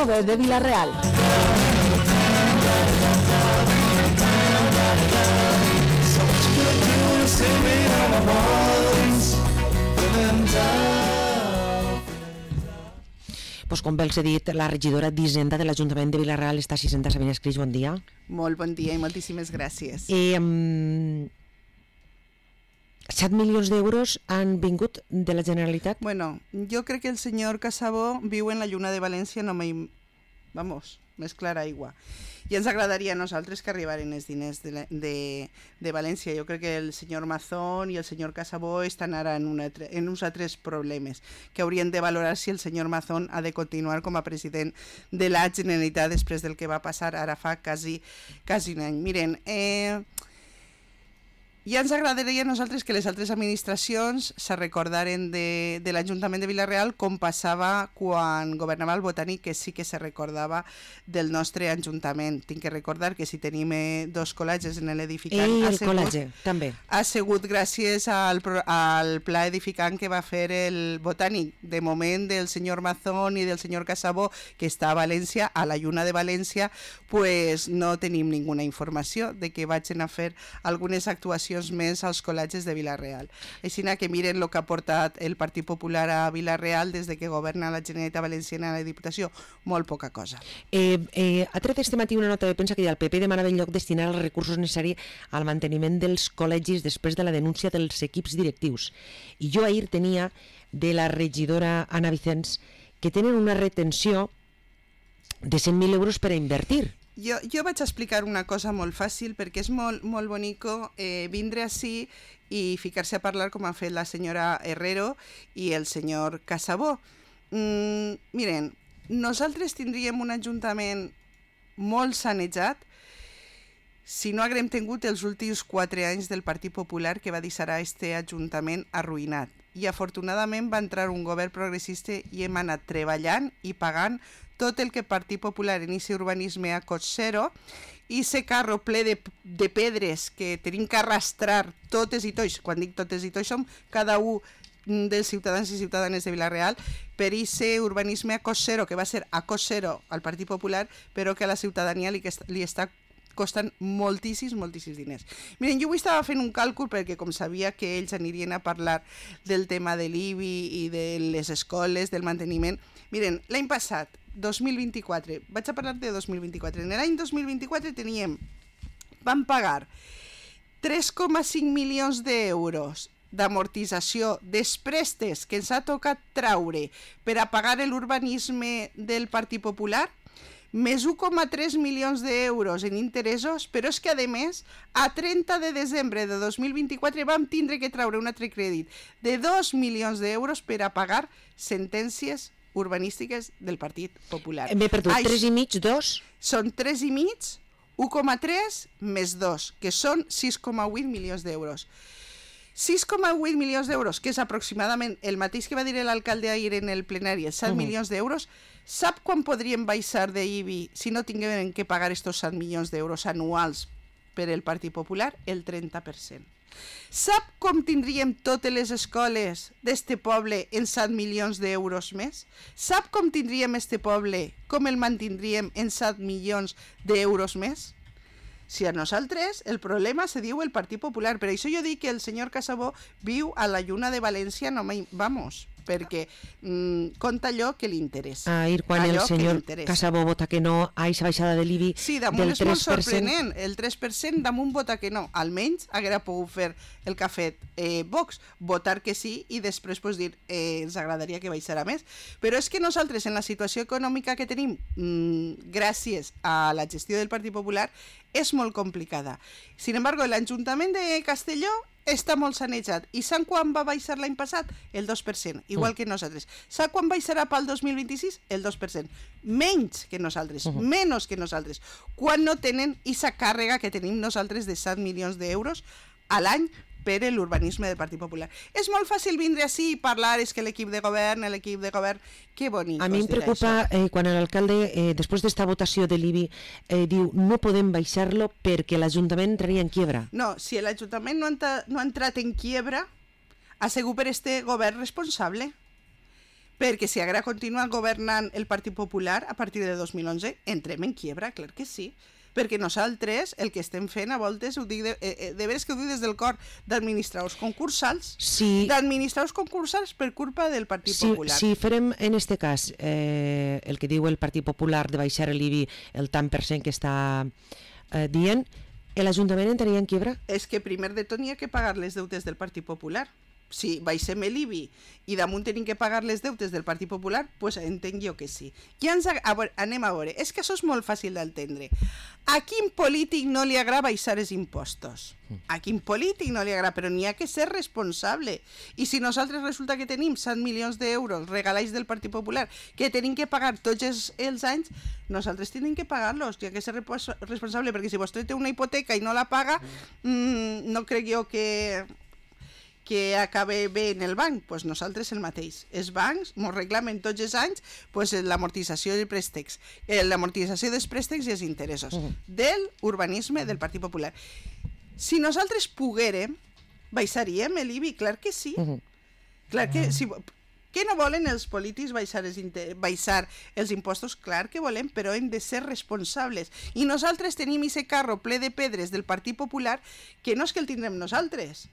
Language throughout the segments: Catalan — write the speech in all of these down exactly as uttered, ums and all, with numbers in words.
de Vila-real. Pues com bé els he dit, la regidora d'Hisenda de l'Ajuntament de Vila-real està assistent a Sabina Escris. Bon dia. Molt bon dia i moltíssimes gràcies. Eh, um, set milions d'euros han vingut de la Generalitat? Bueno, jo crec que el senyor Casabó viu en la lluna de València, no mai... Vamos, més clara aigua. I ens agradaria a nosaltres que arribaren els diners de, de, de València. Jo crec que el senyor Mazón i el senyor Casabó estan ara en, una, en uns altres problemes que haurien de valorar si el senyor Mazón ha de continuar com a president de la Generalitat després del que va passar ara fa quasi, quasi un any. Miren, eh, ja ens agradaria a nosaltres que les altres administracions se recordaren de, de l'Ajuntament de Vila-real com passava quan governava el Botànic, que sí que se recordava del nostre Ajuntament. Tinc que recordar que si tenim eh, dos col·legis en l'edificant... I el col·legi, també. Ha sigut gràcies al, al pla edificant que va fer el Botànic, de moment del senyor Mazón i del senyor Casabó, que està a València, a la lluna de València, pues no tenim ninguna informació de que vagin a fer algunes actuacions més als col·legis de Vila-real. Així que miren el que ha portat el Partit Popular a Vila-real des de que governa la Generalitat Valenciana a la Diputació, molt poca cosa. Eh, eh, ha tret este matí una nota de premsa que el P P demanava en lloc destinar els recursos necessaris al manteniment dels col·legis després de la denúncia dels equips directius. I jo ahir tenia de la regidora Anna Vicens que tenen una retenció de cent mil euros per a invertir. Jo, jo vaig explicar una cosa molt fàcil, perquè és molt, molt bonico eh, vindre ací i ficar-se a parlar com ha fet la senyora Herrero i el senyor Casabó. Mm, miren, nosaltres tindríem un ajuntament molt sanejat si no haguem tingut els últims quatre anys del Partit Popular que va deixar este ajuntament arruïnat. I afortunadament va entrar un govern progressista i hem anat treballant i pagant tot el que el Partit Popular en aquest urbanisme a cost zero, i ese carro ple de, de pedres que tenim que arrastrar totes i tots, quan dic totes i tots som cada un dels ciutadans i ciutadanes de Vila-real, per aquest urbanisme a cost zero, que va ser a cost zero al Partit Popular, però que a la ciutadania li, li està costen moltíssims, moltíssims diners. Miren, jo avui estava fent un càlcul perquè com sabia que ells anirien a parlar del tema de l'I B I i de les escoles, del manteniment. Miren, l'any passat, dos mil vint-i-quatre, vaig a parlar de dos mil vint-i-quatre, en l'any dos mil vint-i-quatre teníem, vam pagar tres coma cinc milions d'euros d'amortització dels préstecs que ens ha tocat traure per a pagar l'urbanisme del Partit Popular, més un coma tres milions d'euros en interessos, però és que, a més, a trenta de desembre de dos mil vint-i-quatre vam tindre que traure un altre crèdit de dos milions d'euros per a pagar sentències urbanístiques del Partit Popular. M'he perdut, Ai, tres i mig, dos? Són tres i mig, un coma tres més dos, que són sis coma vuit milions d'euros. sis coma vuit milions d'euros, que és aproximadament el mateix que va dir l'alcalde ahir en el plenari, set uh-huh. milions d'euros. Sap quan podríem baixar de I B I si no tinguem que pagar estos set milions d'euros anuals per el Partit Popular? El trenta per cent. Sap com tindríem totes les escoles d'este poble en set milions d'euros més? Sap com tindríem este poble, com el mantindríem en set milions d'euros més? Si a nosaltres el problema se diu el Partit Popular, per això jo dic que el senyor Casabó viu a la lluna de València, no mai, vamos, perquè mm, compta allò que li interessa. Ahir quan el senyor Casabó vota que no a aquesta baixada de l'I B I sí, damunt és molt sorprenent, el tres per cent damunt vota que no, almenys haguera pogut fer el que ha fet eh, Vox, votar que sí i després pues, dir eh, ens agradaria que baixara més, però és que nosaltres en la situació econòmica que tenim mmm, gràcies a la gestió del Partit Popular és molt complicada. Sin embargo, l'Ajuntament de Castelló està molt sanejat. I sap quan va baixar l'any passat? El dos per cent, igual que nosaltres. Sap quan baixarà pel dos mil vint-i-sis? El dos per cent. Menys que nosaltres, uh-huh. menys que nosaltres. Quan no tenen aquesta càrrega que tenim nosaltres de set milions d'euros a l'any per l'urbanisme del Partit Popular. És molt fàcil vindre ací i parlar, és que l'equip de govern, l'equip de govern, que bonic. A mi em preocupa eh, quan l'alcalde, eh, després d'esta votació de l'I B I, eh, diu no podem baixar-lo perquè l'Ajuntament entraria en quiebra. No, si l'Ajuntament no, no ha entrat en quiebra, ha sigut per este govern responsable. perquè si ara continua governant el Partit Popular a partir de dos mil onze, entrem en quiebra, clar que sí. Perquè nosaltres el que estem fent a voltes, ho dic de, eh, de veres que ho dic des del cor, d'administradors concursals, sí. d'administradors concursals per culpa del Partit sí, Popular. Si farem en este cas eh, el que diu el Partit Popular de baixar l'I B I el tant per cent que està eh, dient, l'Ajuntament entraria en quiebra? És que primer de tot n'hi ha que pagar les deutes del Partit Popular. Si baixem l'I B I i damunt tenim que pagar les deutes del Partit Popular, doncs pues entenc jo que sí. Ja ens a, a veure, anem a veure, és que això és molt fàcil d'entendre. A quin polític no li agrada baixar els impostos? A quin polític no li agrada? Però n'hi ha que ser responsable. I si nosaltres resulta que tenim set milions d'euros regalats del Partit Popular que tenim que pagar tots els, els anys, nosaltres tenim que pagar-los. N'hi ha que ser responsable, perquè si vostè té una hipoteca i no la paga, mmm, no crec jo que... que acabe bé en el banc, doncs nosaltres el mateix. Els bancs ens reclamen tots els anys pues, l'amortització dels préstecs, l'amortització dels préstecs i els interessos uh -huh. del urbanisme del Partit Popular. Si nosaltres poguérem, baixaríem l'I B I, clar que sí. Uh -huh. Clar que si... Què no volen els polítics baixar els, inter... baixar els impostos? Clar que volem, però hem de ser responsables. I nosaltres tenim aquest carro ple de pedres del Partit Popular que no és que el tindrem nosaltres,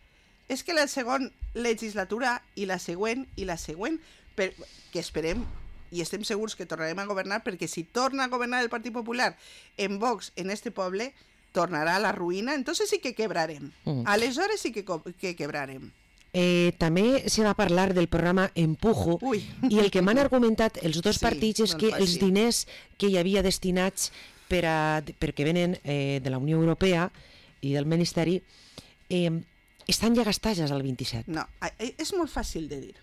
és que la segona legislatura i la següent i la següent, per, que esperem i estem segurs que tornarem a governar, perquè si torna a governar el Partit Popular en Vox en este poble, tornarà a la ruïna, entonces sí que quebrarem. Mm. Aleshores sí que, que quebrarem. Eh, també se va parlar del programa Empujo. Ui. I el que m'han argumentat els dos sí, partits és que fàcil. Els diners que hi havia destinats per a, perquè venen eh, de la Unió Europea i del Ministeri eh, estan ja gastats al vint-i-set. No, és molt fàcil de dir.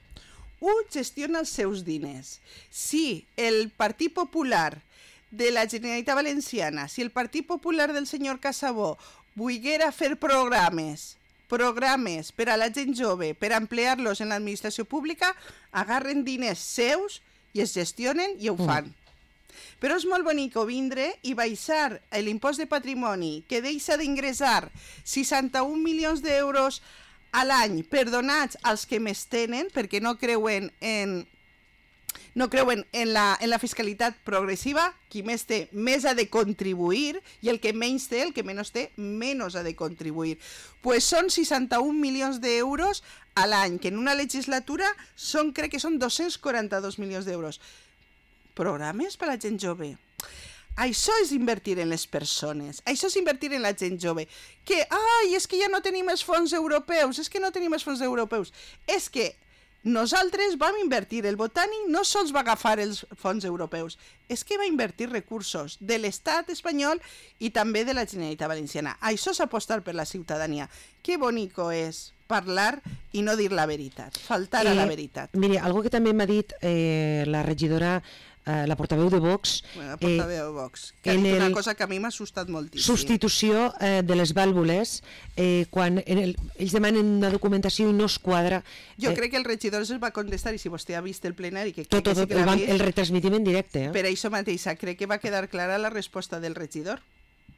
Un gestiona els seus diners. Si el Partit Popular de la Generalitat Valenciana, si el Partit Popular del senyor Casabó volguera fer programes, programes per a la gent jove, per ampliar-los en l'administració pública, agarren diners seus i es gestionen i ho fan. Mm. Però és molt bonic vindre i baixar l'impost de patrimoni que deixa d'ingressar seixanta-un milions d'euros a l'any perdonats als que més tenen perquè no creuen en, no creuen en, la, en la fiscalitat progressiva. Qui més té, més ha de contribuir, i el que menys té, el que menys té, menys ha de contribuir. Pues són seixanta-un milions d'euros a l'any, que en una legislatura són, crec que són dos-cents quaranta-dos milions d'euros. Programes per a la gent jove. Això és invertir en les persones, això és invertir en la gent jove. Que, ai, és que ja no tenim els fons europeus, és que no tenim els fons europeus. És que nosaltres vam invertir, el Botànic no sols va agafar els fons europeus, és que va invertir recursos de l'Estat espanyol i també de la Generalitat Valenciana. Això és apostar per la ciutadania. Que bonico és parlar i no dir la veritat, faltar a la veritat. Eh, mire, algo que també m'ha dit eh, la regidora, eh, la portaveu de Vox... Bueno, la portaveu eh, de Vox, que ha dit una cosa que a mi m'ha assustat moltíssim. Substitució eh, de les vàlvules, eh, quan en el, ells demanen una documentació i no es quadra... Jo eh, crec que el regidor es va contestar, i si vostè ha vist el plenari... Que tot, que tot, sí que el, vist, el retransmitim en directe. Eh? Per això mateixa, crec que va quedar clara la resposta del regidor.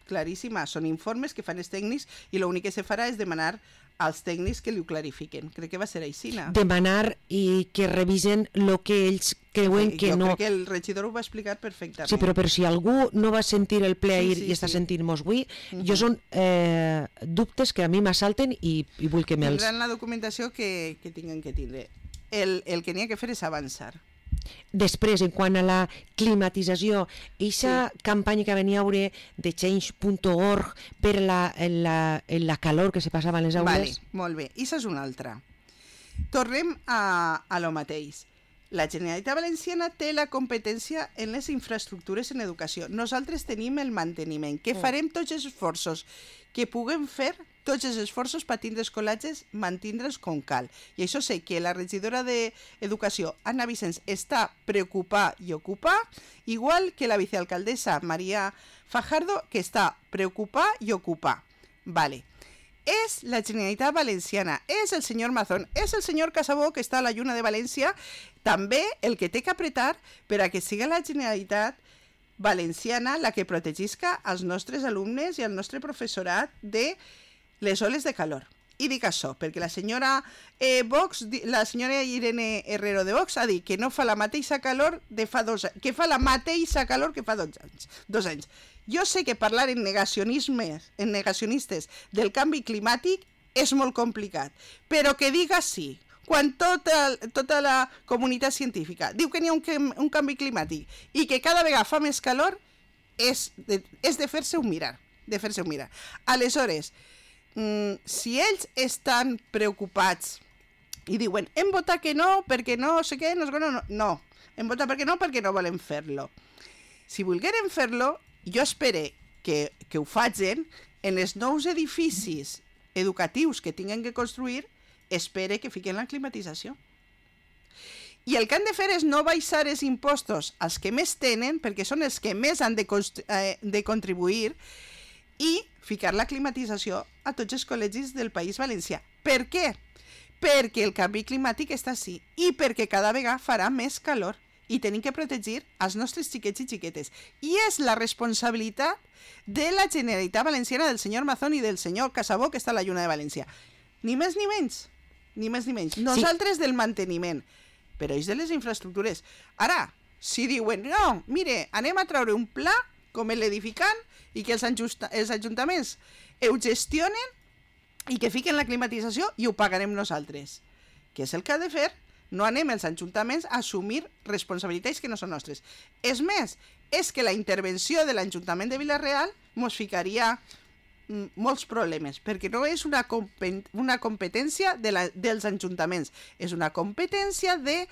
Claríssima, són informes que fan els tècnics i l'únic que se farà és demanar als tècnics que li ho clarifiquen. Crec que va ser així. Demanar i que revisen el que ells creuen sí, que jo no... Jo crec que el regidor ho va explicar perfectament. Sí, però, però si algú no va sentir el ple ahir sí, sí, i està sí. sentint-nos avui, uh -huh. jo són eh, dubtes que a mi m'assalten i, i vull que me'ls... Tindran la documentació que, que tinguin que tindre. El, el que n'hi ha que fer és avançar. Després, en quant a la climatització, aquesta sí. campanya que venia a veure de change punt org per la, la, la calor que se passava en les aules... Vale, molt bé. I això és una altra. Tornem a, a lo mateix. La Generalitat Valenciana té la competència en les infraestructures en educació. Nosaltres tenim el manteniment, que farem tots els esforços que puguem fer, tots els esforços per tindre els col·legis, mantindre'ls com cal. I això sé que la regidora d'Educació, Anna Vicens, està preocupada i ocupada, igual que la vicealcaldessa Maria Fajardo, que està preocupada i ocupada. Vale. És la Generalitat Valenciana, és el senyor Mazón, és el senyor Casabó, que està a la Lluna de València, també el que té que apretar per a que siga la Generalitat Valenciana la que protegisca als nostres alumnes i al nostre professorat de les oles de calor. i dic això, perquè la senyora eh, Vox, la senyora Irene Herrero de Vox ha dit que no fa la mateixa calor de fa dos anys, que fa la mateixa calor que fa dos anys. Dos anys. Jo sé que parlar en negacionismes, en negacionistes del canvi climàtic és molt complicat, però que diga sí, quan tota, tota la comunitat científica diu que n'hi ha un, un canvi climàtic i que cada vegada fa més calor, és de, és de fer-se un mirar, de fer-se un mirar. Aleshores, mm, si ells estan preocupats i diuen, hem votat que no, perquè no sé què, no, no, no, hem votat perquè no, perquè no volem fer-lo. Si volgueren fer-lo, jo espero que, que ho facin en els nous edificis educatius que tinguin que construir, espere que fiquen la climatització. I el que han de fer és no baixar els impostos als que més tenen, perquè són els que més han de, eh, de contribuir, i ficar la climatització a tots els col·legis del País Valencià. Per què? Perquè el canvi climàtic està així i perquè cada vegada farà més calor i tenim que protegir els nostres xiquets i xiquetes. I és la responsabilitat de la Generalitat Valenciana, del senyor Mazón i del senyor Casabó, que està a la Lluna de València. Ni més ni menys. Ni més ni menys. Nosaltres sí. Del manteniment, però ells de les infraestructures. Ara, si diuen, no, mire, anem a treure un pla com l'edificant i que els, els ajuntaments ho gestionen i que fiquen la climatització i ho pagarem nosaltres. Què és el que ha de fer? No anem els ajuntaments a assumir responsabilitats que no són nostres. És més, és que la intervenció de l'Ajuntament de Vila-real ens ficaria molts problemes, perquè no és una, una competència de la, dels ajuntaments, és una competència de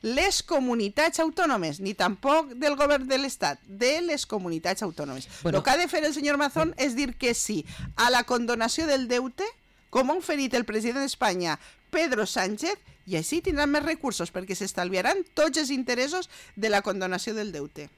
les comunitats autònomes, ni tampoc del govern de l'Estat, de les comunitats autònomes. Bueno, el que ha de fer el senyor Mazón és dir que sí a la condonació del deute, com ha oferit el president d'Espanya, Pedro Sánchez, i així tindran més recursos perquè s'estalviaran tots els interessos de la condonació del deute.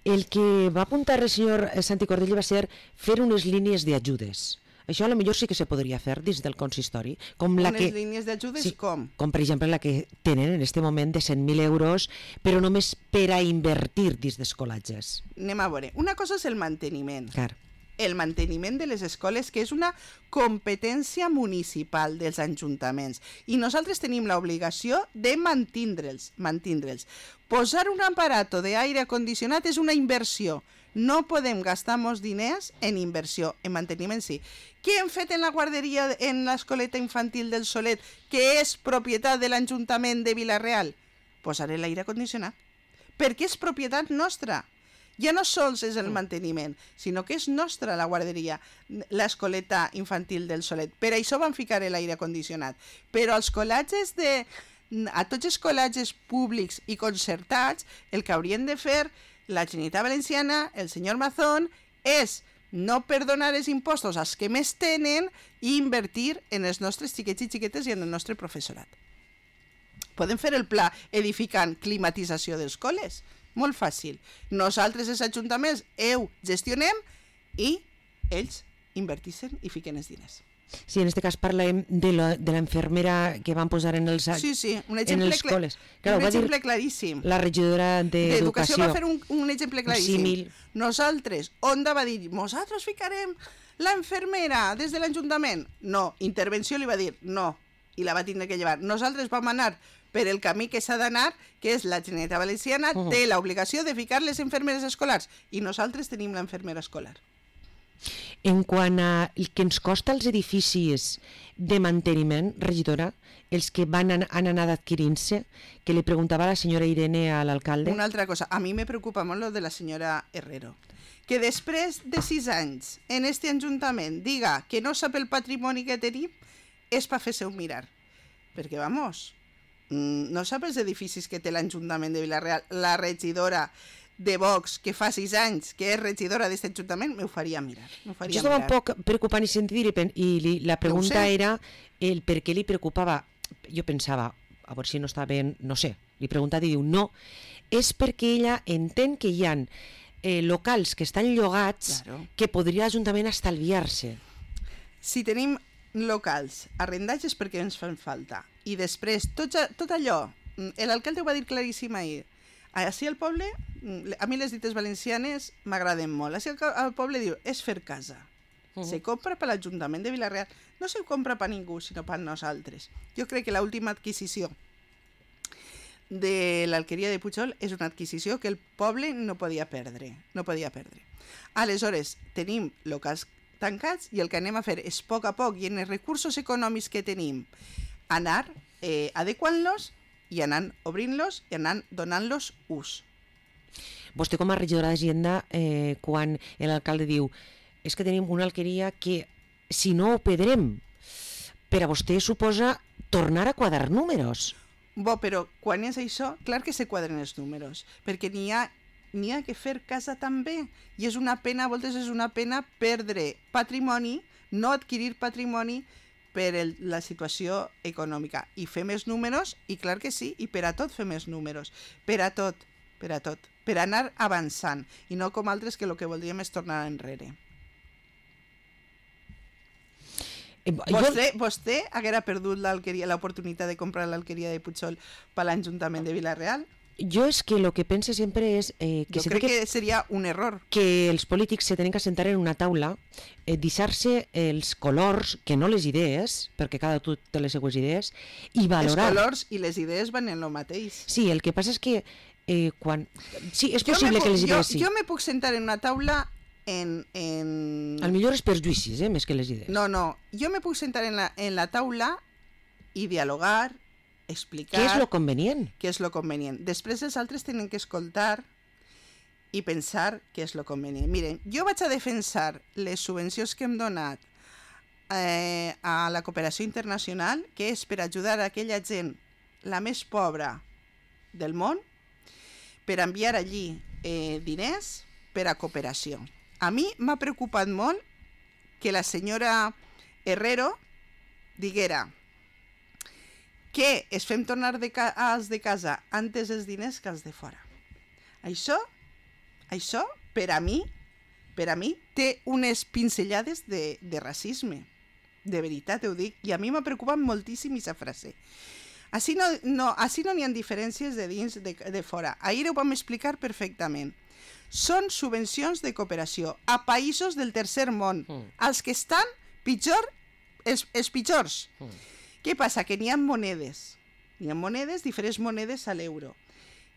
El que va apuntar el senyor Santi Cordell va ser fer unes línies d'ajudes. Això a lo millor sí que se podria fer dins del consistori. Com la unes que, línies d'ajudes sí, com? Com per exemple la que tenen en este moment de cent mil euros, però només per a invertir dins d'escolatges. Anem a veure. Una cosa és el manteniment. Clar. El manteniment de les escoles, que és una competència municipal dels ajuntaments. I nosaltres tenim l'obligació de mantindre'ls, mantindre'ls. Posar un aparato d'aire condicionat és una inversió. No podem gastar molts diners en inversió, en manteniment sí. Què hem fet en la guarderia, en l'escoleta infantil del Solet, que és propietat de l'Ajuntament de Vila-real? Posaré l'aire condicionat. Perquè és propietat nostra. Ja no sols és el manteniment, sinó que és nostra la guarderia, l'escoleta infantil del Solet. Per això van ficar l'aire condicionat. Però als col·legis de... a tots els col·legis públics i concertats, el que haurien de fer la Generalitat Valenciana, el senyor Mazón, és no perdonar els impostos als que més tenen i invertir en els nostres xiquets i xiquetes i en el nostre professorat. Podem fer el pla edificant climatització dels col·les? Molt fàcil. Nosaltres, els ajuntaments, ho gestionem i ells invertixen i fiquen els diners. Sí, en aquest cas parlem de l'enfermera que van posar en els, sí, sí, un en els col·les. Clar, un exemple claríssim. La regidora d'Educació va fer un, un exemple claríssim. Símil. Nosaltres, Onda va dir, nosaltres ficarem l'enfermera des de l'Ajuntament. No, intervenció li va dir, no, i la va tindre que llevar. Nosaltres vam anar per el camí que s'ha d'anar, que és la Generalitat Valenciana, uh -huh. té l'obligació de ficar les infermeres escolars, i nosaltres tenim l'enfermera escolar. En quant a el que ens costa els edificis de manteniment, regidora, els que van an han anat adquirint-se, que li preguntava la senyora Irene a l'alcalde. Una altra cosa, a mi me preocupa molt lo de la senyora Herrero, que després de sis anys en este ajuntament diga que no sap el patrimoni que tenim, és per fer-se un mirar. Perquè, vamos, no sap els edificis que té l'Ajuntament de Vila-real. La regidora de Vox, que fa sis anys que és regidora d'aquest ajuntament, m'ho faria mirar. Jo estava un poc preocupat i sentir i li, la pregunta era el per què li preocupava. Jo pensava, a veure si no està ben, no sé, li preguntava i diu no, és perquè ella entén que hi ha eh, locals que estan llogats claro. que podria l'Ajuntament estalviar-se. Si tenim locals arrendats és perquè ens fan falta. I després, tot, tot allò, l'alcalde ho va dir claríssim ahir, així al poble, a mi les dites valencianes m'agraden molt, així al poble diu, és fer casa. Uh-huh. Se compra per l'Ajuntament de Vila-real. No se compra per ningú, sinó per nosaltres. Jo crec que l'última adquisició de l'alqueria de Pujol és una adquisició que el poble no podia perdre. No podia perdre. Aleshores, tenim locals tancats i el que anem a fer és, a poc a poc, i en els recursos econòmics que tenim, anar eh, adequant-los i anar obrint-los i anar donant-los ús. Vostè com a regidora d'Hisenda, eh, quan l'alcalde diu és que tenim una alqueria que, si no ho pedrem, per a vostè suposa tornar a quadrar números. Bo, però quan és això, clar que se quadren els números, perquè n'hi ha, n'hi ha que fer casa també, i és una pena, a voltes és una pena perdre patrimoni, no adquirir patrimoni per el, la situació econòmica. I fem els números, i clar que sí, i per a tot fem els números, per a tot, per a tot, per anar avançant, i no com altres que el que voldríem és tornar enrere. Vostè, vostè haguera perdut l'alqueria, l'oportunitat de comprar l'alqueria de Pujol per l'Ajuntament de Vila-real? Jo és que el que pense sempre és... Eh, que jo crec que, que seria un error. Que els polítics se tenen que sentar en una taula, eh, deixar-se els colors, que no les idees, perquè cada tu té les seues idees, i valorar... Els colors i les idees van en el mateix. Sí, el que passa és que eh, quan... Sí, és possible puc, que les idees jo, sí. Jo me puc sentar en una taula en... en... Al millor és perjuïcis, eh, més que les idees. No, no. Jo me puc sentar en la, en la taula i dialogar, explicar... Què és lo convenient? Què és lo convenient. Després els altres tenen que escoltar i pensar què és lo convenient. Miren, jo vaig a defensar les subvencions que hem donat eh, a la cooperació internacional, que és per ajudar a aquella gent, la més pobra del món, per enviar allí eh, diners per a cooperació. A mi m'ha preocupat molt que la senyora Herrero diguera que es fem tornar de ca als de casa antes els diners que els de fora. Això, això per a mi, per a mi, té unes pinzellades de, de racisme. De veritat ho dic. I a mi m'ha preocupat moltíssim aquesta frase. Així no n'hi no, no ha diferències de dins de, de fora. Ahir ho vam explicar perfectament. Són subvencions de cooperació a països del tercer món, mm. els que estan pitjor, els, els pitjors. Mm. Què passa? Que n'hi ha monedes, n'hi ha monedes, diferents monedes a l'euro,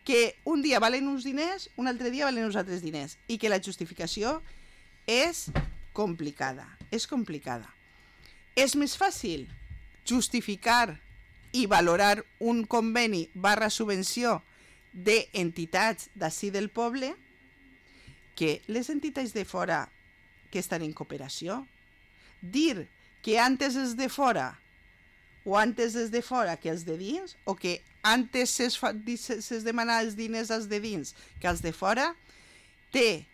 que un dia valen uns diners, un altre dia valen uns altres diners, i que la justificació és complicada, és complicada. És més fàcil justificar i valorar un conveni barra subvenció d'entitats d'ací del poble que les entitats de fora que estan en cooperació. Dir que antes és de fora o antes és de fora que els de dins, o que antes s'es, fa, s'es demanar els diners als de dins que els de fora, té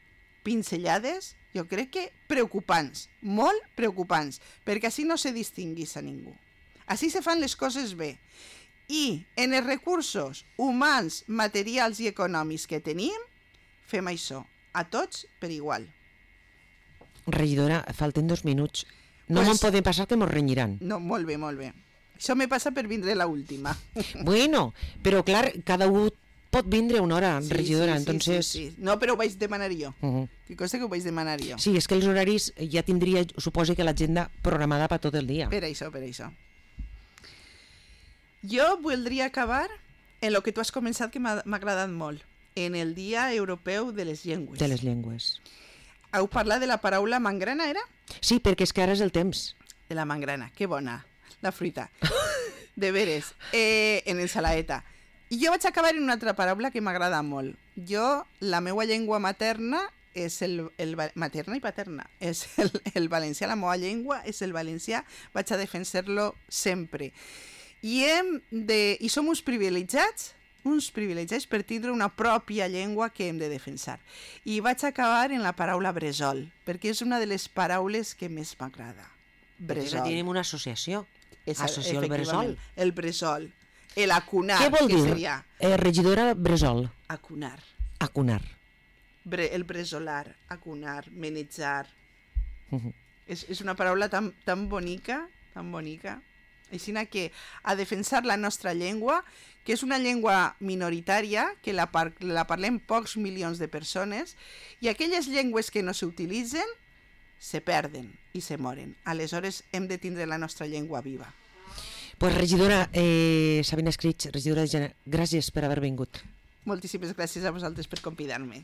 pinzellades, jo crec que preocupants, molt preocupants, perquè així no se distinguís a ningú. Així se fan les coses bé. I en els recursos humans, materials i econòmics que tenim, fem això. A tots per igual. Regidora, falten dos minuts. No pues, me'n podem passar que mos renyiran. No, molt bé, molt bé. Això me passa per vindre la última. Bueno, però clar, cada un pot vindre una hora, sí, regidora, sí, entonces... Sí, sí. No, però ho vaig demanar jo. Uh -huh. Que cosa que ho vaig demanar jo. Sí, és que els horaris ja tindria, suposo que l'agenda programada per tot el dia. Per això, per això. Jo voldria acabar en el que tu has començat, que m'ha agradat molt. En el Dia Europeu de les Llengües. De les llengües. Heu parlat de la paraula mangrana, era? Sí, perquè és que ara és el temps. De la mangrana, que bona, la fruita. De veres, eh, en ensalaeta. I jo vaig acabar en una altra paraula que m'agrada molt. Jo, la meva llengua materna, és el, el materna i paterna, és el, el valencià, la meva llengua és el valencià, vaig a defensar-lo sempre. I, hem de, i som uns privilegiats, uns privilegiats per tindre una pròpia llengua que hem de defensar. I vaig acabar en la paraula bressol, perquè és una de les paraules que més m'agrada. Bressol. Tenim una associació. Associació al bressol. El bressol. El acunar. Què vol dir? Seria? Eh, regidora bressol. Acunar. Acunar. Bre, el bressolar, acunar, menejar. Uh -huh. és, és una paraula tan, tan bonica, tan bonica. Així que a defensar la nostra llengua, que és una llengua minoritària, que la, par la parlem pocs milions de persones, i aquelles llengües que no s'utilitzen se perden i se moren. Aleshores hem de tindre la nostra llengua viva. Pues regidora eh, Sabina Escrig, regidora de Gènere, gràcies per haver vingut. Moltíssimes gràcies a vosaltres per convidar-me.